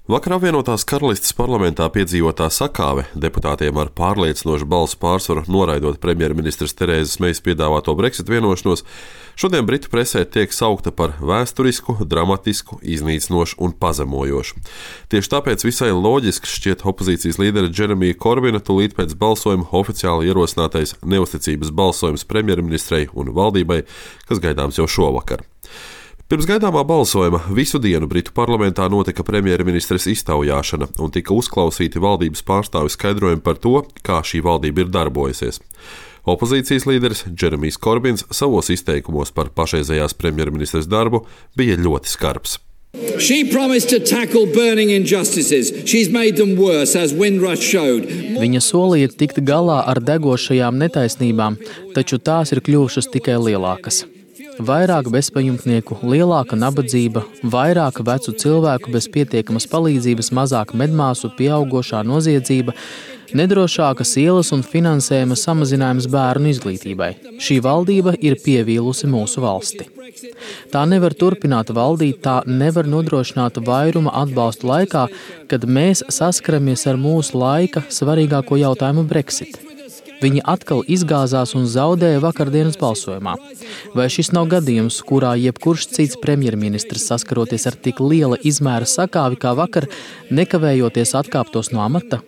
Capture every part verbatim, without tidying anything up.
Vakar apvienotās karalistes parlamentā piedzīvotā sakāve deputātiem ar pārliecinošu balsu pārsvaru noraidot premjerministres Terēzes Mejas piedāvāto Brexit vienošanos, šodien Britu presē tiek saukta par vēsturisku, dramatisku, iznīcinošu un pazemojošu. Tieši tāpēc visai loģiski šķiet opozīcijas līdera Džeremija Korbina tūlīt pēc balsojuma oficiāli ierosinātais neusticības balsojums premjerministrei un valdībai, kas gaidāms jau šovakar. Pirms gaidāmā balsojuma visu dienu Britu parlamentā notika premjerministres iztaujāšana un tika uzklausīti valdības pārstāvju skaidrojumi par to, kā šī valdība ir darbojusies. Opozīcijas līderis Džeremijs Korbins savos izteikumos par pašreizējās premjerministres darbu bija ļoti skarbs. She promised to tackle burning injustices. She's made them worse, as Windrush showed. Viņa solīja tikt galā ar degošajām netaisnībām, taču tās ir kļuvušas tikai lielākas. Vairāk bezpajumtnieku, lielāka nabadzība, vairāk vecu cilvēku bez pietiekamas palīdzības, mazāk medmāsu, pieaugošā noziedzība, nedrošākas ielas un finansējuma samazinājums bērnu izglītībai. Šī valdība ir pievīlusi mūsu valsti. Tā nevar turpināt valdīt, tā nevar nodrošināt vairuma atbalstu laikā, kad mēs saskaramies ar mūsu laika svarīgāko jautājumu Brexit. Viņi atkal izgāzās un zaudēja vakardienas balsojumā. Vai šis nav gadījums, kurā jebkurš cits premjerministrs saskaroties ar tik liela izmēra sakāvi kā vakar, nekavējoties atkāptos no amata?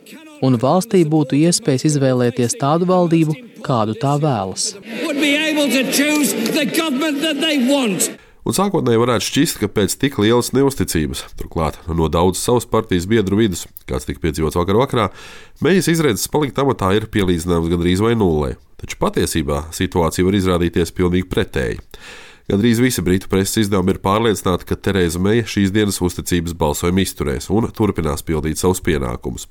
Un valstī būtu iespējas izvēlēties tādu valdību, kādu tā vēlas. Un sākotnēji varētu šķist, ka pēc tik lielas neusticības, turklāt no daudz savas partijas biedru vidus, kāds tika piedzīvots vakar vakarā, Mejas izredzes palikt amatā ir pielīdzināms gandrīz vai nullē. Taču patiesībā situācija var izrādīties pilnīgi pretēji. Gandrīz visi Britu preses izdevumi ir pārliecināti, ka Terēza Meja šīs dienas uzticības balsojumu izturēs un turpinās pildīt savus pienākumus.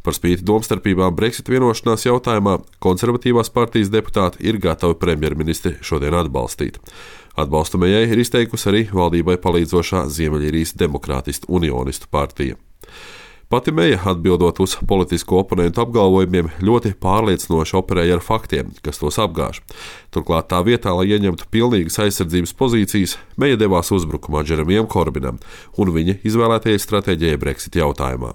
Par spīti domstarpībām Brexit vienošanās jautājumā konservatīvās partijas deputāti ir gatavi premjerministri šodien atbalstīt. Atbalstu Mejai ir izteikusi arī valdībai palīdzošā Ziemeļīrijas demokrātistu unionistu partija. Pati Meja, atbildot uz politisko oponentu apgalvojumiem, ļoti pārliecinoši operēja ar faktiem, kas tos apgāž. Turklāt tā vietā, lai ieņemtu pilnīgas aizsardzības pozīcijas, Meja devās uzbrukumā Džeremijam Korbinam un viņa izvēlētajai stratēģijai Brexit jautājumā.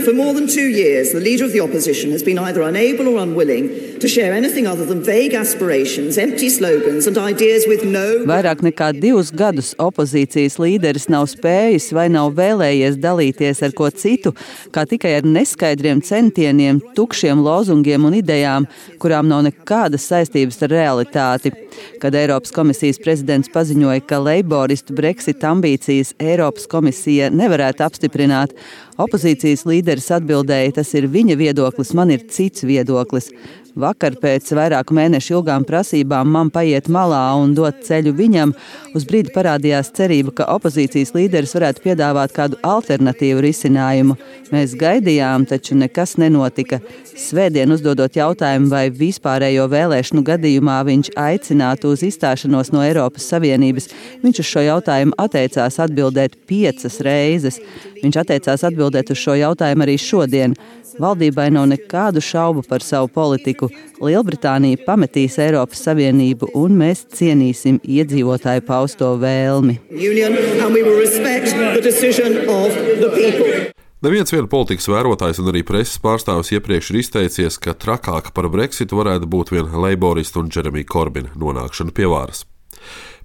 For more than two years, the leader of the opposition has been either unable or unwilling to share anything other than vague aspirations, empty slogans and ideas with no... Vairāk nekā divus gadus opozīcijas līderis nav spējis vai nav vēlējies dalīties ar ko citu, kā tikai ar neskaidriem centieniem, tukšiem lozungiem un idejām, kurām nav nekādas saistības ar realitāti. Kad Eiropas komisijas prezidents paziņoja, ka leiboristu Brexit ambīcijas Eiropas komisija nevarētu apstiprināt, opozīcijas līderis atbildēja, tas ir viņa viedoklis, man ir cits viedoklis. Vakar pēc vairāku mēnešu ilgām prasībām man paiet malā un dot ceļu viņam, uz brīdi parādījās cerība, ka opozīcijas līderis varētu piedāvāt kādu alternatīvu risinājumu. Mēs gaidījām, taču nekas nenotika. Svētdien uzdodot jautājumu, vai vispārējo vēlēšanu gadījumā viņš aicinātu uz izstāšanos no Eiropas Savienības, viņš uz šo jautājumu atteicās atbildēt piecas reizes. Viņš atteicās atbildēt uz šo jautājumu arī šodien. Valdībai nav nekādu šaubu par savu politiku. Lielbritānija pametīs Eiropas Savienību un mēs cienīsim iedzīvotāju pausto vēlmi. Neviens vien politikas vērotājs un arī preses pārstāvis iepriekš ir izteicies, ka trakāka par Brexitu varētu būt vien leiboristu un Džeremija Korbina nonākšana pie varas.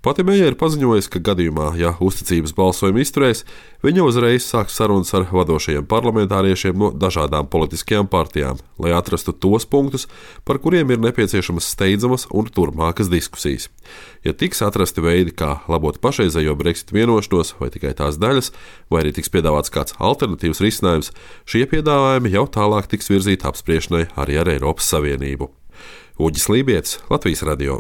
Pati Meja ir paziņojusi, ka gadījumā, ja uzticības balsojumu izturēs, viņa uzreiz sāks sarunas ar vadošajiem parlamentāriešiem no dažādām politiskajām partijām, lai atrastu tos punktus, par kuriem ir nepieciešamas steidzamas un turpmākas diskusijas. Ja tiks atrasti veidi, kā labot pašreizējo Brexit vienošanos vai tikai tās daļas, vai arī tiks piedāvāts kāds alternatīvs risinājums, šie piedāvājumi jau tālāk tiks virzīti apspriešanai arī ar Eiropas Savienību. Uģis Lībietis, Latvijas radio.